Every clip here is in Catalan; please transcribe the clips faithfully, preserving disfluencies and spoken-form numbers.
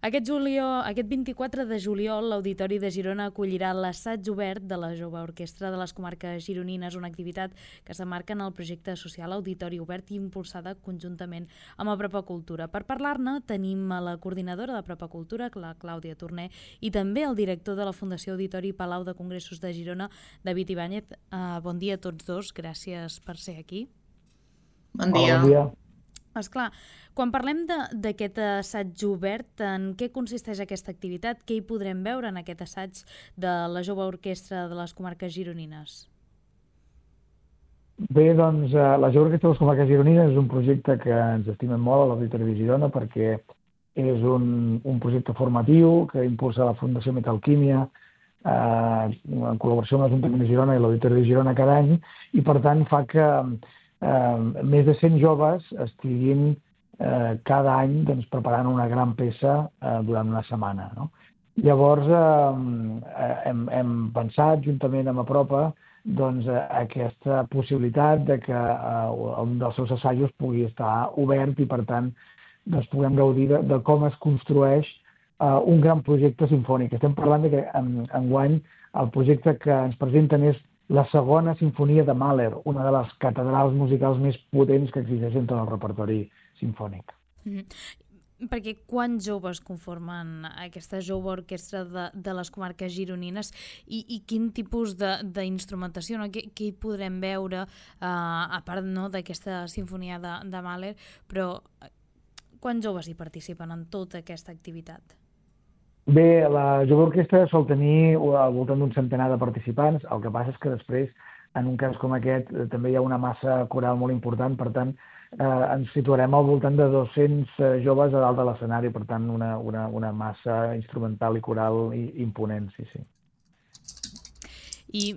Aquest, juliol, aquest vint-i-quatre de juliol l'Auditori de Girona acollirà l'assaig obert de la Jove Orquestra de les Comarques Gironines, una activitat que s'emmarca en el projecte social Auditori Obert i impulsada conjuntament amb Apropa Cultura. Per parlar-ne tenim a la coordinadora d'Apropa Cultura, la Clàudia Torner, i també el director de la Fundació Auditori Palau de Congressos de Girona, David Ibáñez. Uh, bon dia a tots dos, gràcies per ser aquí. Bon dia. Hola, bon dia. Esclar, quan parlem d'aquest assaig obert, en què consisteix aquesta activitat? Què hi podrem veure en aquest assaig de la Jove Orquestra de les Comarques Gironines? Bé, doncs, la Jove Orquestra de les Comarques Gironines és un projecte que ens estimem molt a l'Auditori de Girona perquè és un, un projecte formatiu que impulsa la Fundació Metalquímia eh, en col·laboració amb l'Ajuntament de Girona i l'Auditori de Girona cada any, i per tant fa que eh, més de cent joves estiguin eh, cada any doncs, preparant una gran peça eh, durant una setmana, no? Llavors eh, hem, hem pensat juntament amb Apropa doncs, aquesta possibilitat de que eh, un dels seus assajos pugui estar obert i per tant doncs, puguem gaudir de, de com es construeix eh, un gran projecte simfònic. Estem parlant de que en, enguany el projecte que ens presenten és la segona sinfonia de Mahler, una de les catedrals musicals més potents que existeixen en tot el repertori simfònic. Mm-hmm. Perquè quants joves conformen aquesta Jove Orquestra de, de les Comarques Gironines i, i quin tipus d'instrumentació, no? Què, què hi podrem veure, uh, a part no, d'aquesta sinfonia de, de Mahler, però quants joves hi participen en tota aquesta activitat? Bé, la Jove Orquestra sol tenir al voltant d'un centenar de participants, el que passa és que després, en un cas com aquest, també hi ha una massa coral molt important, per tant, eh, ens situarem al voltant de dos-cents joves a dalt de l'escenari, per tant, una, una, una massa instrumental i coral imponent, sí, sí. I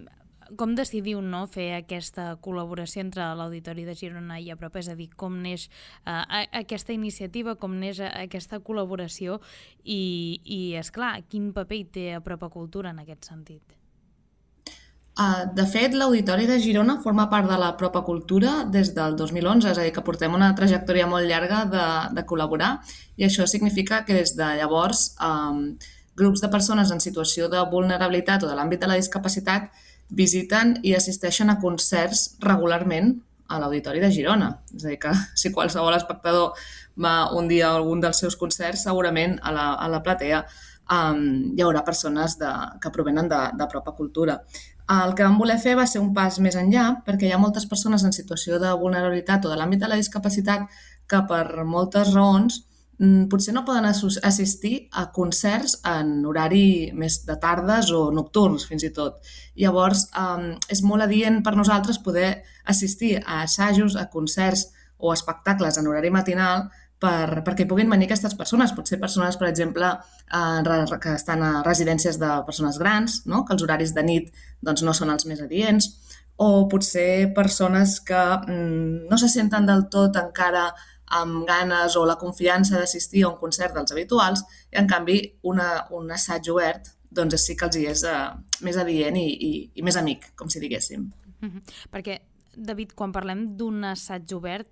com decidiu no, fer aquesta col·laboració entre l'Auditori de Girona i Apropa? És a dir, com neix uh, aquesta iniciativa, com neix aquesta col·laboració i, i esclar, quin paper hi té Apropa Cultura en aquest sentit? Uh, de fet, l'Auditori de Girona forma part de l'Apropa Cultura des del dos mil onze, és a dir, que portem una trajectòria molt llarga de, de col·laborar, i això significa que des de llavors um, grups de persones en situació de vulnerabilitat o de l'àmbit de la discapacitat visiten i assisteixen a concerts regularment a l'Auditori de Girona. És a dir, que si qualsevol espectador va un dia a algun dels seus concerts, segurament a la, a la platea um, hi haurà persones de, que provenen d'Apropa Cultura. El que vam voler fer va ser un pas més enllà, perquè hi ha moltes persones en situació de vulnerabilitat o de l'àmbit de la discapacitat que per moltes raons potser no poden assistir a concerts en horari més de tardes o nocturns, fins i tot. Llavors, eh, és molt adient per nosaltres poder assistir a assajos, a concerts o espectacles en horari matinal per, perquè puguin venir aquestes persones. Potser persones, per exemple, eh, que estan a residències de persones grans, no? Que els horaris de nit doncs, no són els més adients, o potser persones que mm, no se senten del tot encara amb ganes o la confiança d'assistir a un concert dels habituals, i en canvi una, un assaig obert doncs sí que els hi és uh, més adient i, i, i més amic, com si diguéssim. Mm-hmm. Perquè, David, quan parlem d'un assaig obert,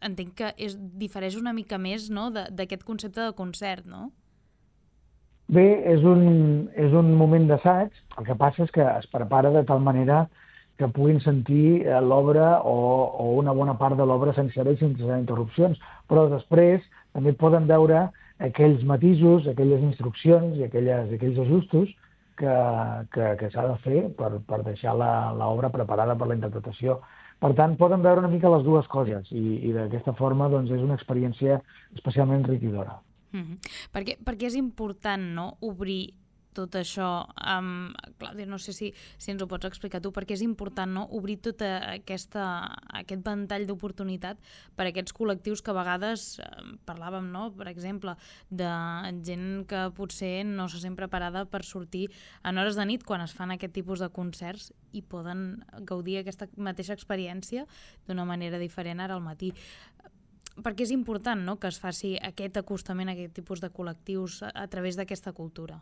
entenc que és, difereix una mica més no, d'aquest concepte de concert, no? Bé, és un, és un moment d'assaig, el que passa és que es prepara de tal manera que puguin sentir l'obra o, o una bona part de l'obra sencera i sense interrupcions, però després també poden veure aquells matisos, aquelles instruccions i aquelles, aquells ajustos que, que, que s'ha de fer per, per deixar l'obra preparada per la interpretació. Per tant, poden veure una mica les dues coses i, i d'aquesta forma doncs, és una experiència especialment enriquidora. Mm-hmm. Perquè, perquè és important no, obrir tot això, um, Clàudia, no sé si, si ens ho pots explicar tu, perquè és important no, obrir tot aquesta, aquest ventall d'oportunitat per a aquests col·lectius que a vegades eh, parlàvem, no, per exemple, de gent que potser no se sent preparada per sortir en hores de nit quan es fan aquest tipus de concerts i poden gaudir aquesta mateixa experiència d'una manera diferent ara al matí. Perquè és important no, que es faci aquest acostament a aquest tipus de col·lectius a, a través d'aquesta cultura.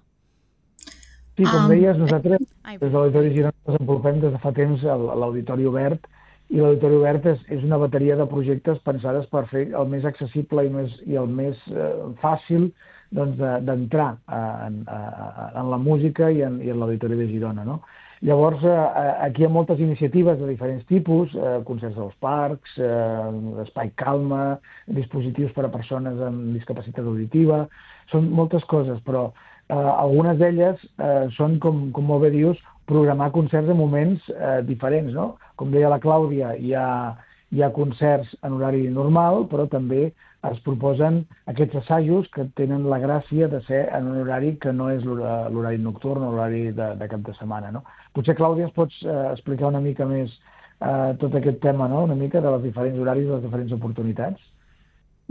Sí, com deies, nosaltres Ai, des de l'Auditori Girona desenvolupem des de fa temps l'Auditori Obert, i l'Auditori Obert és, és una bateria de projectes pensades per fer el més accessible i, més, i el més eh, fàcil doncs, d'entrar en, en la música i en, i en l'Auditori de Girona, no? Llavors, aquí hi ha moltes iniciatives de diferents tipus, concerts als parcs, espai calma, dispositius per a persones amb discapacitat auditiva, són moltes coses, però algunes d'elles són, com, com molt bé dius, programar concerts en moments diferents, no? Com deia la Clàudia, hi ha, hi ha concerts en horari normal, però també es proposen aquests assajos que tenen la gràcia de ser en un horari que no és l'horari nocturn o l'horari de, de cap de setmana, no? Potser, Clàudia, ens pots eh, explicar una mica més eh, tot aquest tema, no? Una mica de els diferents horaris i les diferents oportunitats?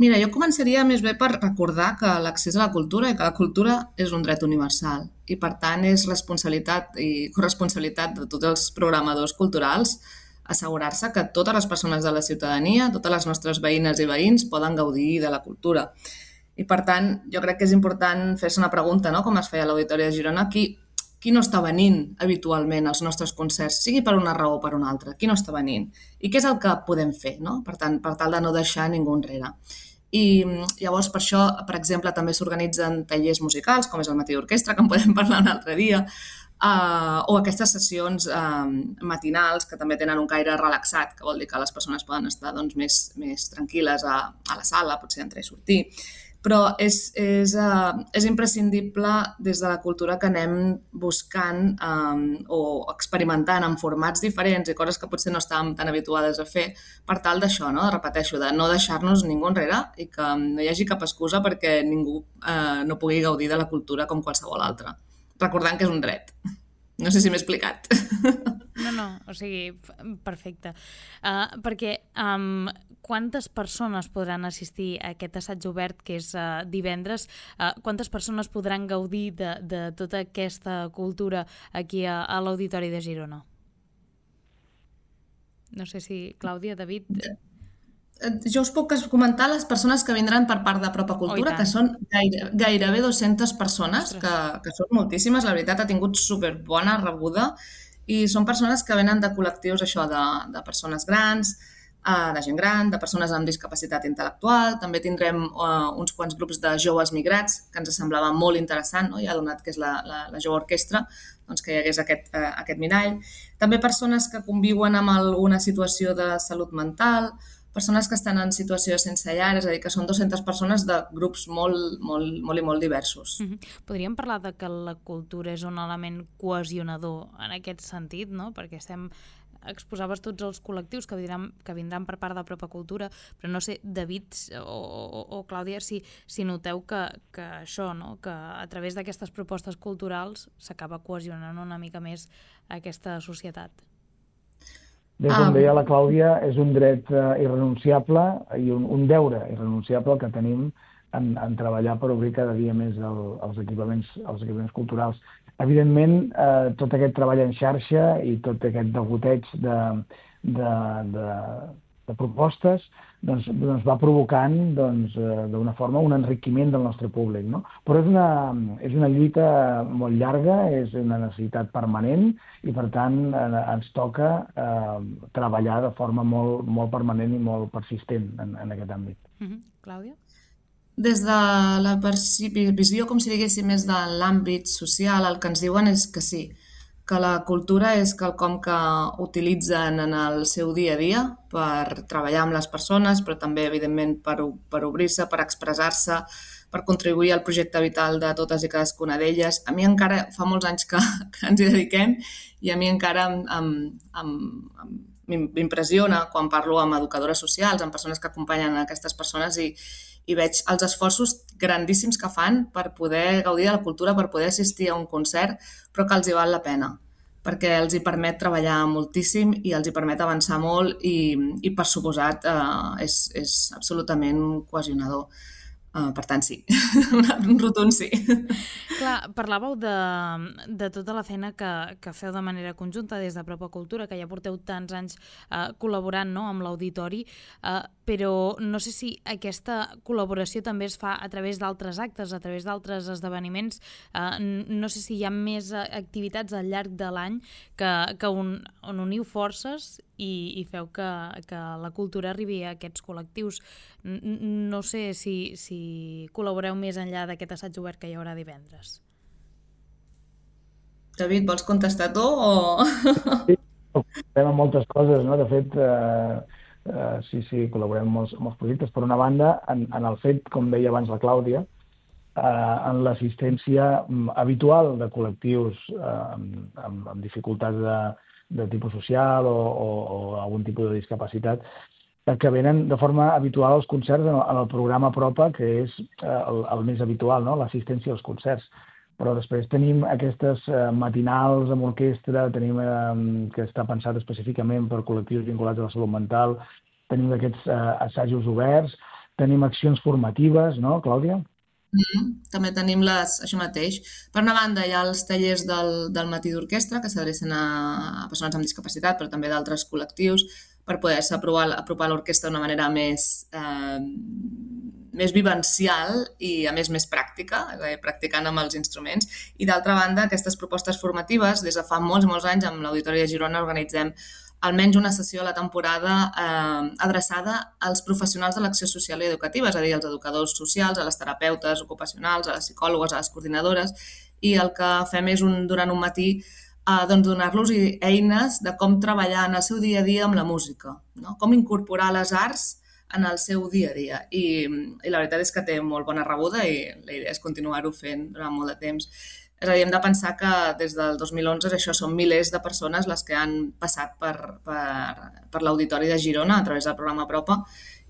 Mira, jo començaria més bé per recordar que l'accés a la cultura i que la cultura és un dret universal i, per tant, és responsabilitat i corresponsabilitat de tots els programadors culturals assegurar-se que totes les persones de la ciutadania, totes les nostres veïnes i veïns poden gaudir de la cultura. I, per tant, jo crec que és important fer-se una pregunta, no?, com es feia a l'Auditori de Girona, qui, qui no està venint habitualment als nostres concerts, sigui per una raó o per una altra, qui no està venint? I què és el que podem fer, no?, per tant, per tal de no deixar ningú enrere. I llavors, per això, per exemple, també s'organitzen tallers musicals, com és el Matí d'Orquestra, que en podem parlar un altre dia, Uh, o aquestes sessions uh, matinals que també tenen un caire relaxat, que vol dir que les persones poden estar doncs, més, més tranquil·les a, a la sala, potser entrar i sortir. Però és, és, uh, és imprescindible des de la cultura que anem buscant um, o experimentant en formats diferents i coses que potser no estàvem tan habituades a fer per tal d'això, no? Repeteixo, de no deixar-nos ningú enrere i que no hi hagi cap excusa perquè ningú uh, no pugui gaudir de la cultura com qualsevol altra. Recordant que és un dret. No sé si m'he explicat. No, no, o sigui, perfecte. Uh, perquè um, quantes persones podran assistir a aquest assaig obert que és uh, divendres? Uh, quantes persones podran gaudir de, de tota aquesta cultura aquí a, a l'Auditori de Girona? No sé si, Clàudia, David... Jo us puc comentar les persones que vindran per part de Propa Cultura, oh, que són gaire, gairebé dues-centes persones, que, que són moltíssimes. La veritat, ha tingut superbona rebuda i són persones que venen de col·lectius això de, de persones grans, de gent gran, de persones amb discapacitat intel·lectual. També tindrem uh, uns quants grups de joves migrats, que ens semblava molt interessant, no? Ja donat que és la, la, la jove orquestra, doncs que hi hagués aquest, uh, aquest mirall. També persones que conviuen amb alguna situació de salut mental, persones que estan en situació sense llar, és a dir, que són dues-centes persones de grups molt, molt, molt i molt diversos. Mm-hmm. Podríem parlar de que la cultura és un element cohesionador en aquest sentit, no? Perquè estem... exposaves tots els col·lectius que vindran, que vindran per part de Propa Cultura, però no sé, David o, o, o Clàudia, si, si noteu que, que això, no? Que a través d'aquestes propostes culturals s'acaba cohesionant una mica més aquesta societat. Bé, com deia la Clàudia, és un dret uh, irrenunciable i un, un deure irrenunciable que tenim en, en treballar per obrir cada dia més el, els, equipaments, els equipaments culturals. Evidentment, eh, tot aquest treball en xarxa i tot aquest degoteig de, de, de, de propostes doncs, doncs va provocant doncs, eh, d'una forma un enriquiment del nostre públic, no? Però és una, és una lluita molt llarga, és una necessitat permanent i, per tant, eh, ens toca eh, treballar de forma molt, molt permanent i molt persistent en, en aquest àmbit. Mm-hmm. Clàudia? Des de la visió, com si diguéssim, més de l'àmbit social, el que ens diuen és que sí, que la cultura és quelcom que utilitzen en el seu dia a dia per treballar amb les persones, però també, evidentment, per, per obrir-se, per expressar-se, per contribuir al projecte vital de totes i cadascuna d'elles. A mi encara fa molts anys que, que ens hi dediquem i a mi encara em, em, em, m'impressiona quan parlo amb educadores socials, amb persones que acompanyen aquestes persones i, i veig els esforços grandíssims que fan per poder gaudir de la cultura, per poder assistir a un concert, però que els hi val la pena, perquè els hi permet treballar moltíssim i els hi permet avançar molt i, i per suposat, eh, és, és absolutament cohesionador. Uh, per tant, sí. Un rotund sí. Clar, parlàveu de, de tota la feina que, que feu de manera conjunta des de Propa Cultura, que ja porteu tants anys uh, col·laborant, no?, amb l'auditori, uh, però no sé si aquesta col·laboració també es fa a través d'altres actes, a través d'altres esdeveniments. Uh, no sé si hi ha més activitats al llarg de l'any que, que un, on uniu forces i, i feu que, que la cultura arribi a aquests col·lectius. No sé si, si col·laboreu més enllà d'aquest assaig obert que hi haurà divendres. David, vols contestar tu o...? Sí, col·laborem amb moltes coses, no? De fet, eh, eh, sí, sí, col·laborem amb molts, molts projectes. Per una banda, en, en el fet, com deia abans la Clàudia, eh, en l'assistència habitual de col·lectius eh, amb, amb, amb dificultats de, de tipus social o, o, o algun tipus de discapacitat, que venen de forma habitual als concerts en el, en el programa Propa, que és eh, el, el més habitual, no? L'assistència als concerts. Però després tenim aquestes eh, matinals amb orquestra, tenim eh, que està pensat específicament per col·lectius vinculats a la salut mental, tenim aquests eh, assajos oberts, tenim accions formatives, no, Clàudia? Mm, també tenim les, això mateix. Per una banda, hi ha els tallers del, del matí d'orquestra que s'adrecen a, a persones amb discapacitat, però també d'altres col·lectius, per poder-se apropar, apropar l'orquestra d'una manera més, eh, més vivencial i, a més, més pràctica, és a dir, practicant amb els instruments. I, d'altra banda, aquestes propostes formatives, des de fa molts, molts anys, amb l'Auditori de Girona organitzem almenys una sessió a la temporada eh, adreçada als professionals de l'acció social i educativa, és a dir, als educadors socials, a les terapeutes ocupacionals, a les psicòlogues, a les coordinadores, i el que fem és un, durant un matí eh, doncs donar-los eines de com treballar en el seu dia a dia amb la música, no? Com incorporar les arts en el seu dia a dia. I, i la veritat és que té molt bona rebuda i la idea és continuar-ho fent durant molt de temps. És a dir, hem de pensar que des del dos mil onze això són milers de persones les que han passat per, per, per l'Auditori de Girona a través del programa Propa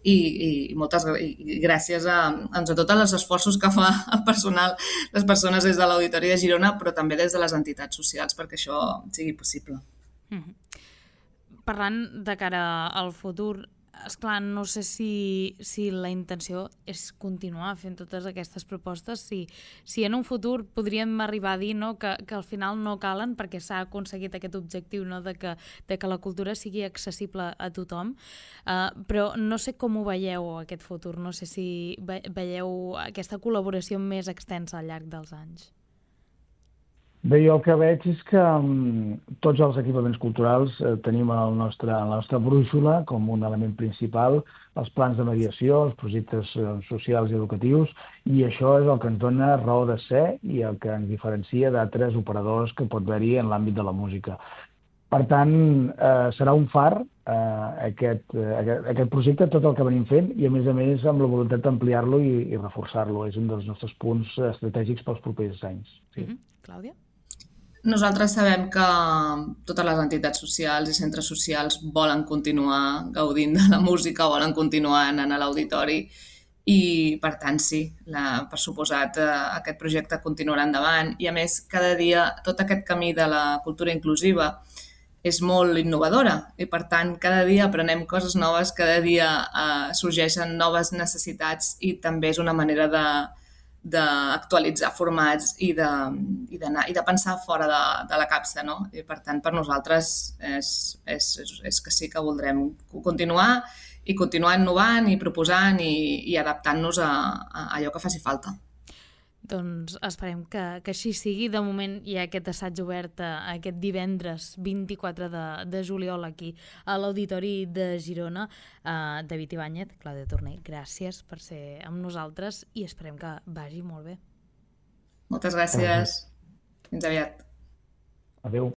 i, i, moltes, i gràcies a, a tots els esforços que fa el personal, les persones des de l'Auditori de Girona, però també des de les entitats socials perquè això sigui possible. Mm-hmm. Parlant de cara al futur, esclar, no sé si, si la intenció és continuar fent totes aquestes propostes, si, si en un futur podríem arribar a dir, no, que, que al final no calen perquè s'ha aconseguit aquest objectiu, no, de, que, de que la cultura sigui accessible a tothom, uh, però no sé com ho veieu aquest futur, no sé si ve, veieu aquesta col·laboració més extensa al llarg dels anys. Bé, jo el que veig és que um, tots els equipaments culturals eh, tenim el nostre, la nostra brúixola com un element principal, els plans de mediació, els projectes eh, socials i educatius, i això és el que ens dona raó de ser i el que ens diferencia d'altres operadors que pot haver-hi en l'àmbit de la música. Per tant, eh, serà un far eh, aquest, eh, aquest, aquest projecte, tot el que venim fent, i a més a més amb la voluntat d'ampliar-lo i, i reforçar-lo. És un dels nostres punts estratègics pels propers anys. Sí. Mm-hmm. Clàudia? Nosaltres sabem que totes les entitats socials i centres socials volen continuar gaudint de la música, volen continuar anant a l'auditori i, per tant, sí, la, per suposat, eh, aquest projecte continuarà endavant. I, a més, cada dia tot aquest camí de la cultura inclusiva és molt innovadora i, per tant, cada dia aprenem coses noves, cada dia eh, sorgeixen noves necessitats i també és una manera de d'actualitzar formats i de, i, d'anar, i de pensar fora de, de la capsa, no? I per tant, per nosaltres és, és, és que sí que voldrem continuar i continuar innovant i proposant i, i adaptant-nos a, a allò que faci falta. Doncs esperem que, que així sigui. De moment hi ha aquest assaig obert aquest divendres vint-i-quatre de, de juliol aquí a l'Auditori de Girona. Uh, David Ibáñez, Clàudia Torner, gràcies per ser amb nosaltres i esperem que vagi molt bé. Moltes gràcies. Fins aviat. Adéu.